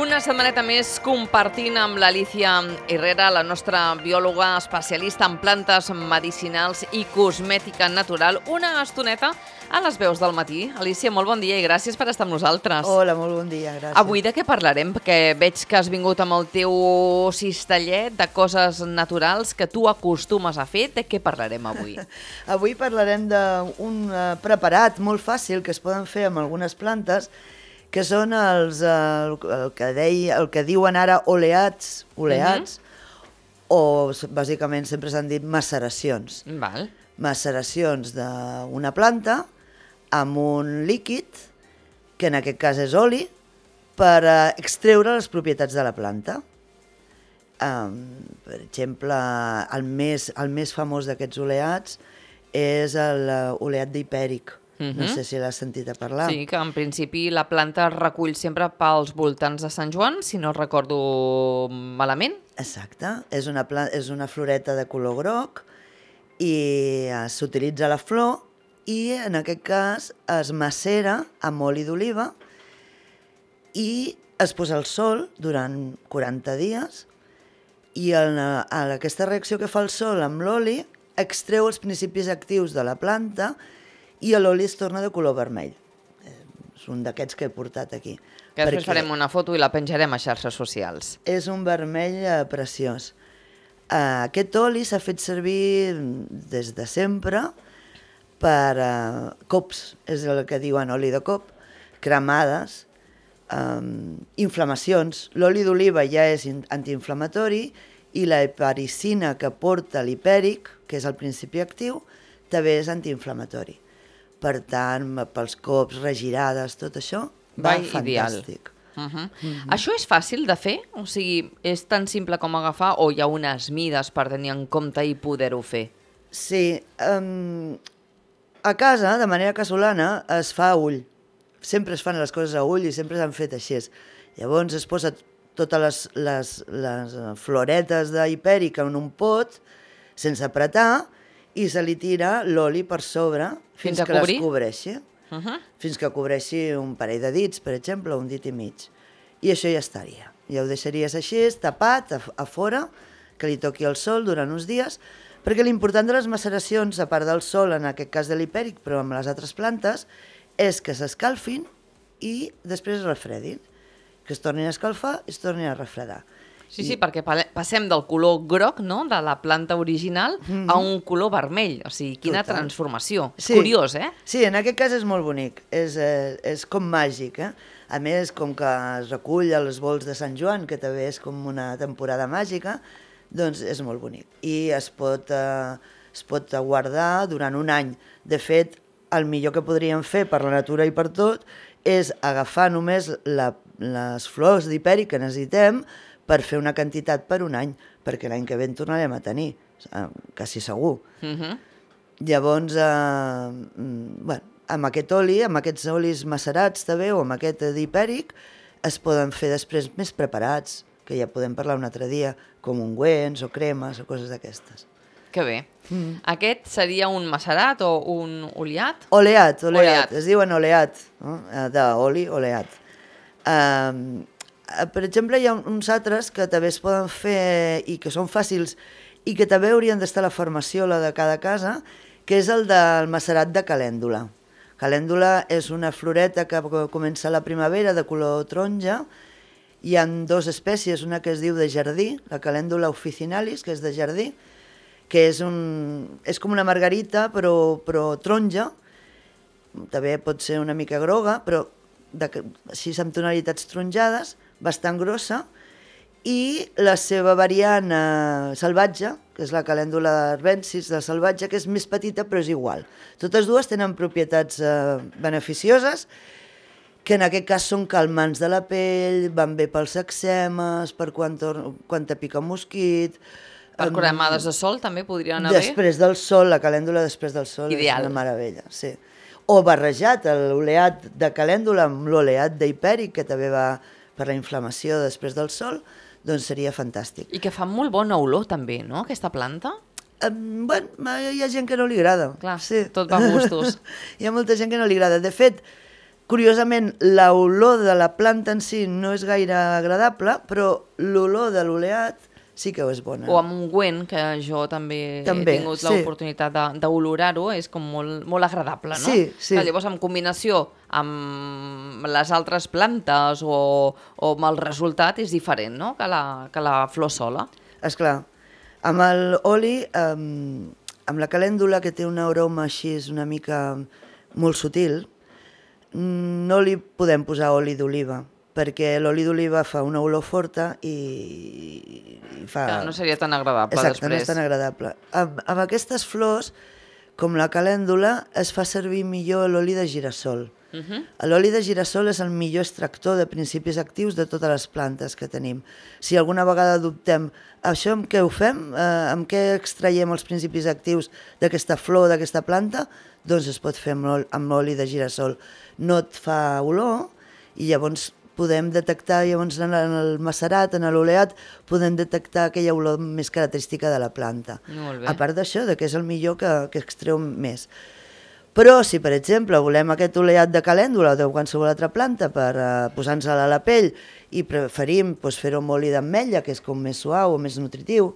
Una setmaneta més compartint amb l'Alicia Herrera, la nostra biòloga especialista en plantes medicinals i cosmètica natural, una estoneta a les veus del matí. Alicia, molt bon dia i gràcies per estar amb nosaltres. Hola, molt bon dia, gràcies. Avui de què parlarem? Perquè veig que has vingut amb el teu cistellet de coses naturals que tu acostumes a fer. De què parlarem avui? Avui parlarem d'un preparat molt fàcil que es poden fer amb algunes plantes, que són el que diuen ara oleats, o bàsicament sempre s'han dit maceracions. Val. Maceracions d'una planta amb un líquid, que en aquest cas és oli, per extreure les propietats de la planta. Per exemple, el més famós d'aquests oleats és l'oleat d'hipèric. No sé si l'has sentit a parlar. Sí, que en principi la planta es recull sempre pels voltants de Sant Joan, si no recordo malament. Exacte, és una floreta de color groc i s'utilitza la flor i en aquest cas es macera amb oli d'oliva i es posa al sol durant 40 dies i aquesta reacció que fa el sol amb l'oli extreu els principis actius de la planta i l'oli es torna de color vermell. És un d'aquests que he portat aquí. Que després farem una foto i la penjarem a xarxes socials. És un vermell preciós. Aquest oli s'ha fet servir des de sempre per cops, és el que diuen oli de cop, cremades, inflamacions. L'oli d'oliva ja és antiinflamatori i la heparicina que porta l'hipèric, que és el principi actiu, també és antiinflamatori. Per tant, pels cops, regirades, tot això, va fantàstic. Això és fàcil de fer? O sigui, és tan simple com agafar o hi ha unes mides per tenir en compte i poder-ho fer? Sí. A casa, de manera casolana, es fa a ull. Sempre es fan les coses a ull i sempre s'han fet així. Llavors es posa totes les floretes d'hipèric en un pot, sense apretar, i se li tira l'oli per sobre fins que les cobreixi. Fins que cobreixi un parell de dits, per exemple, un dit i mig. I això ja estaria. Ja ho deixaries així, tapat, a fora, que li toqui el sol durant uns dies, perquè l'important de les maceracions, a part del sol, en aquest cas de l'hipèric, però amb les altres plantes, és que s'escalfin i després es refredin. Que es tornin a escalfar i es tornin a refredar. Sí, perquè passem del color groc, no?, de la planta original a un color vermell. O sigui, quina transformació. És curiós, eh? Sí, en aquest cas és molt bonic. És com màgic, eh? A més, com que es recull als volts de Sant Joan, que també és com una temporada màgica, doncs és molt bonic. I es pot guardar durant un any. De fet, el millor que podríem fer per la natura i per tot és agafar només les flors d'hipèric que necessitem per fer una quantitat per un any, perquè l'any que ve en tornarem a tenir, quasi segur. Llavors, amb aquest oli, amb aquests olis macerats també, o amb aquest d'hipèric, es poden fer després més preparats, que ja podem parlar un altre dia, com ungüents o cremes o coses d'aquestes. Que bé. Aquest seria un macerat o un oleat? Oleat. Es diuen oleat, d'oli, oleat. Per exemple, hi ha uns altres que també es poden fer i que són fàcils i que també haurien d'estar a la farmaciola de cada casa, que és el del macerat de calèndula. Calèndula és una floreta que comença a la primavera de color taronja. Hi ha dues espècies, una que es diu de jardí, la calèndula officinalis, que és de jardí, que és com una margarita però taronja, també pot ser una mica groga, però així amb tonalitats taronjades, bastant grossa, i la seva variant salvatge, que és la calèndula arbensis de salvatge, que és més petita però és igual. Totes dues tenen propietats beneficioses, que en aquest cas són calmants de la pell, van bé pels eczemes, per quan te pica un mosquit. Per cremades de sol també podria anar bé? Després del sol, la calèndula després del sol és una meravella, sí. O barrejat, l'oleat de calèndula amb l'oleat d'hipèric, que també va per la inflamació després del sol, doncs seria fantàstic. I que fa molt bona olor també, no?, aquesta planta? Bueno, hi ha gent que no li agrada. Clar, tot va a gustos. Hi ha molta gent que no li agrada. De fet, Curiosament, l'olor de la planta en si no és gaire agradable, però l'olor de l'oleat sí que és bona. O amb ungüent, que jo també he tingut l'oportunitat d'olorar-ho, és com molt agradable, no? Sí, sí. Llavors, en combinació amb les altres plantes o amb el resultat és diferent, no?, que la flor sola. Esclar, amb l'oli, amb la calèndula, que té una aroma així una mica molt sutil, no li podem posar oli d'oliva, perquè l'oli d'oliva fa una olor forta i fa... Que no seria tan agradable. Exacte, després. No és tan agradable. Amb aquestes flors, com la calèndula, es fa servir millor l'oli de girassol. L'oli de girassol és el millor extractor de principis actius de totes les plantes que tenim. Si alguna vegada dubtem, això amb què ho fem? Amb què extraiem els principis actius d'aquesta flor, d'aquesta planta? Doncs es pot fer amb l'oli de girassol. No et fa olor i llavors podem detectar, llavors en el macerat, en l'oleat, podem detectar aquella olor més característica de la planta. Molt bé. A part d'això, que és el millor que extreu més. Però si, per exemple, volem aquest oleat de calèndula o de qualsevol altra planta per posar-nos-la a la pell i preferim fer-ho amb oli d'ametlla, que és com més suau o més nutritiu,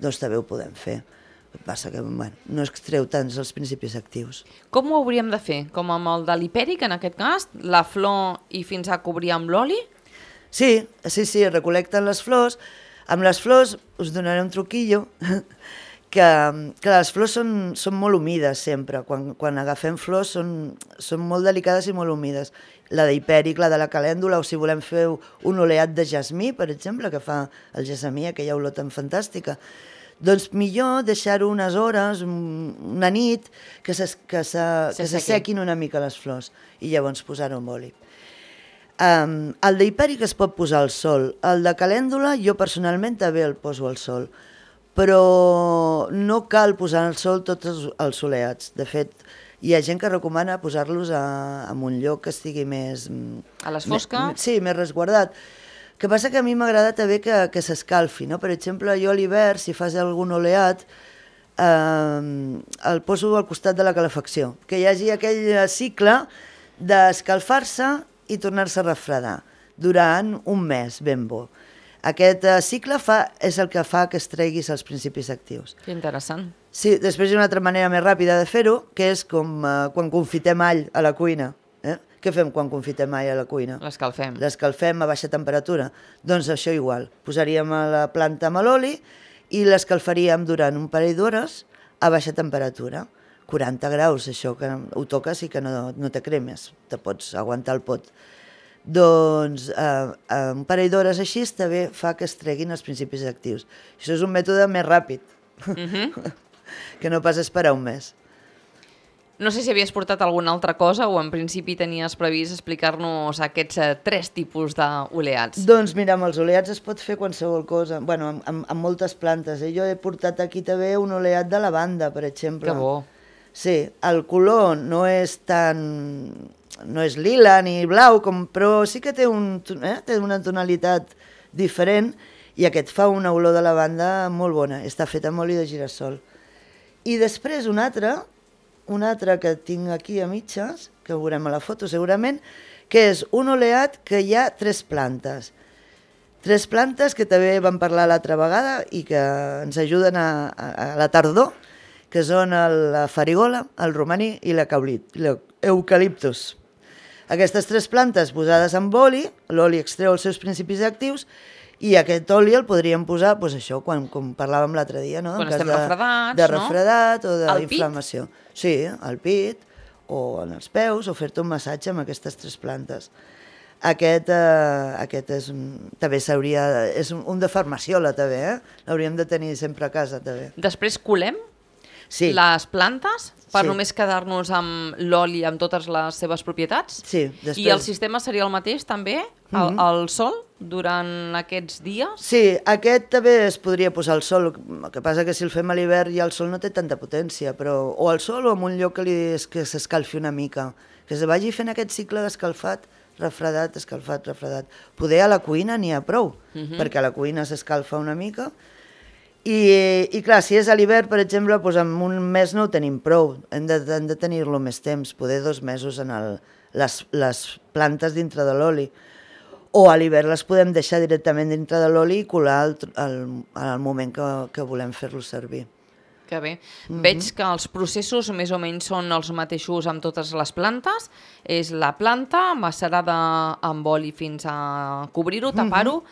doncs també ho podem fer. El que passa que no extreu tants els principis actius. Com ho hauríem de fer? Com amb el de l'hipèric, en aquest cas? La flor i fins a cobrir amb l'oli? Sí, recolecten les flors. Amb les flors us donaré un truquillo, que les flors són molt humides sempre. Quan agafem flors són molt delicades i molt humides. La d'hipèric, la de la calèndula, o si volem fer un oleat de jasmí, per exemple, que fa el jasmí, aquella olor tan fantàstica, doncs millor deixar-ho unes hores, una nit, que s'assequin una mica les flors i llavors posar-ho amb oli. El d'hipèric es pot posar al sol. El de calèndula jo personalment també el poso al sol, però no cal posar al sol tots els oleats. De fet, hi ha gent que recomana posar-los en un lloc que estigui més... A les fosques? Sí, més resguardat. El que passa que a mi m'agrada també que s'escalfi, no? Per exemple, jo a l'hivern, si fas algun oleat, el poso al costat de la calefacció, que hi hagi aquell cicle d'escalfar-se i tornar-se a refredar durant un mes ben bo. Aquest cicle és el que fa que es treguis els principis actius. Que interessant. Sí, després hi ha una altra manera més ràpida de fer-ho, que és com quan confitem all a la cuina. Què fem quan confitem all a la cuina? L'escalfem. L'escalfem a baixa temperatura. Doncs això igual. Posaríem la planta amb l'oli i l'escalfaríem durant un parell d'hores a baixa temperatura. 40 graus, això, que ho toques i que no te cremes. Te pots aguantar el pot. Doncs un parell d'hores així també fa que es treguin els principis actius. Això és un mètode més ràpid, que no pas esperar un mes. No sé si havies portat alguna altra cosa o en principi tenies previst explicar-nos aquests 3 tipus d'oleats. Doncs mira, amb els oleats es pot fer qualsevol cosa, bueno, amb moltes plantes. Jo he portat aquí també un oleat de lavanda, per exemple. Que bo. Sí, el color no és lila ni blau, però sí que té una tonalitat diferent i aquest fa una olor de lavanda molt bona. Està fet amb oli de girassol. I després un altre que tinc aquí a mitges, que ho veurem a la foto segurament, que és un oleat que hi ha 3 plantes. 3 plantes que també vam parlar l'altra vegada i que ens ajuden a la tardor, que són la farigola, el romaní i l'eucaliptus. Aquestes 3 plantes posades amb oli, l'oli extreu els seus principis actius, i aquest oli el podríem posar, doncs això, com parlàvem l'altre dia, no? Quan estem refredats, de refredat o d'inflamació. Sí, al pit, o en els peus, o fer-te un massatge amb aquestes 3 plantes. Aquest també és un de farmaciola, també, L'hauríem de tenir sempre a casa, també. Després colem les plantes per només quedar-nos amb l'oli, amb totes les seves propietats? Sí. I el sistema seria el mateix, també? Al sol, durant aquests dies? Sí, aquest també es podria posar al sol. El que passa que si el fem a l'hivern ja el sol no té tanta potència, però o al sol o en un lloc que s'escalfi una mica, que se vagi fent aquest cicle d'escalfat, refredat, escalfat, refredat. Poder a la cuina n'hi ha prou, perquè a la cuina s'escalfa una mica I clar, si és a l'hivern, per exemple, doncs en un mes no ho tenim prou, hem de tenir-lo més temps, poder 2 mesos en les plantes dintre de l'oli. O a l'hivern les podem deixar directament dintre de l'oli i colar al moment que volem fer-lo servir. Que bé. Veig que els processos més o menys són els mateixos amb totes les plantes. És la planta macerada amb oli fins a cobrir-ho, tapar-ho,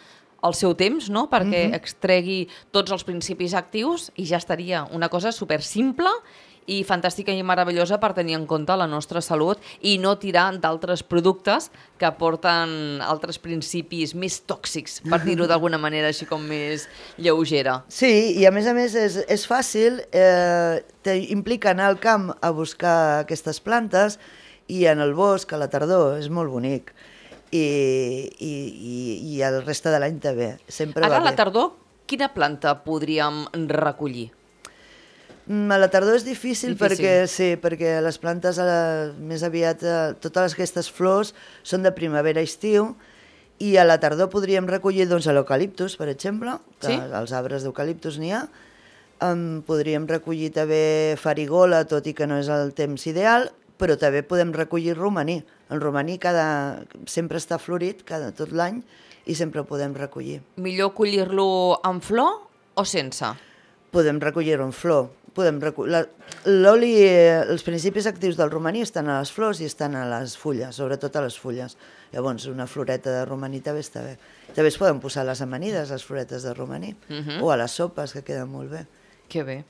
el seu temps, no?, perquè extregui tots els principis actius i ja estaria. Una cosa super simple i fantàstica i meravellosa per tenir en compte la nostra salut i no tirar d'altres productes que porten altres principis més tòxics, per dir-ho d'alguna manera així com més lleugera. Sí, i a més és fàcil, implica anar al camp a buscar aquestes plantes i en el bosc, a la tardor, és molt bonic. I el reste de l'any també. Ara, a la tardor, quina planta podríem recollir? A la tardor és difícil. Perquè les plantes més aviat, totes aquestes flors són de primavera i estiu, i a la tardor podríem recollir l'eucaliptus, per exemple, que als arbres d'eucaliptus n'hi ha. Podríem recollir també farigola, tot i que no és el temps ideal, però també podem recollir romaní. El romaní sempre està florit tot l'any i sempre ho podem recollir. Millor collir-lo en flor o sense? Podem recollir-ho en flor. L'oli, els principis actius del romaní estan a les flors i estan a les fulles, sobretot a les fulles. Llavors, una floreta de romaní també està bé. També es poden posar a les amanides, les floretes de romaní, o a les sopes, que queden molt bé. Que bé.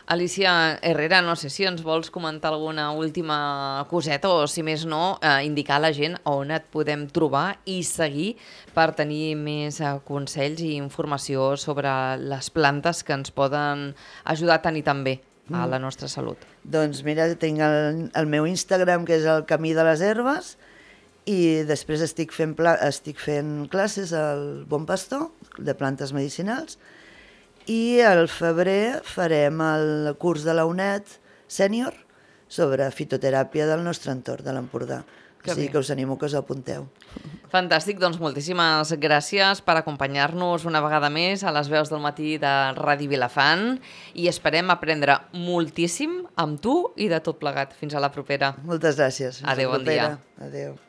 Alicia Herrera, no sé si ens vols comentar alguna última coseta o, si més no, indicar a la gent on et podem trobar i seguir per tenir més consells i informació sobre les plantes que ens poden ajudar tant i tan bé a la nostra salut. Doncs mira, tinc el meu Instagram, que és el Camí de les Herbes, i després estic fent classes al Bon Pastor, de plantes medicinals, i al febrer farem el curs de la UNED sènior sobre fitoteràpia del nostre entorn, de l'Empordà. O sigui que us animo que us apunteu. Fantàstic, doncs moltíssimes gràcies per acompanyar-nos una vegada més a les veus del matí de Ràdio Vilafant i esperem aprendre moltíssim amb tu i de tot plegat. Fins a la propera. Moltes gràcies. Adéu, bon dia. Adéu.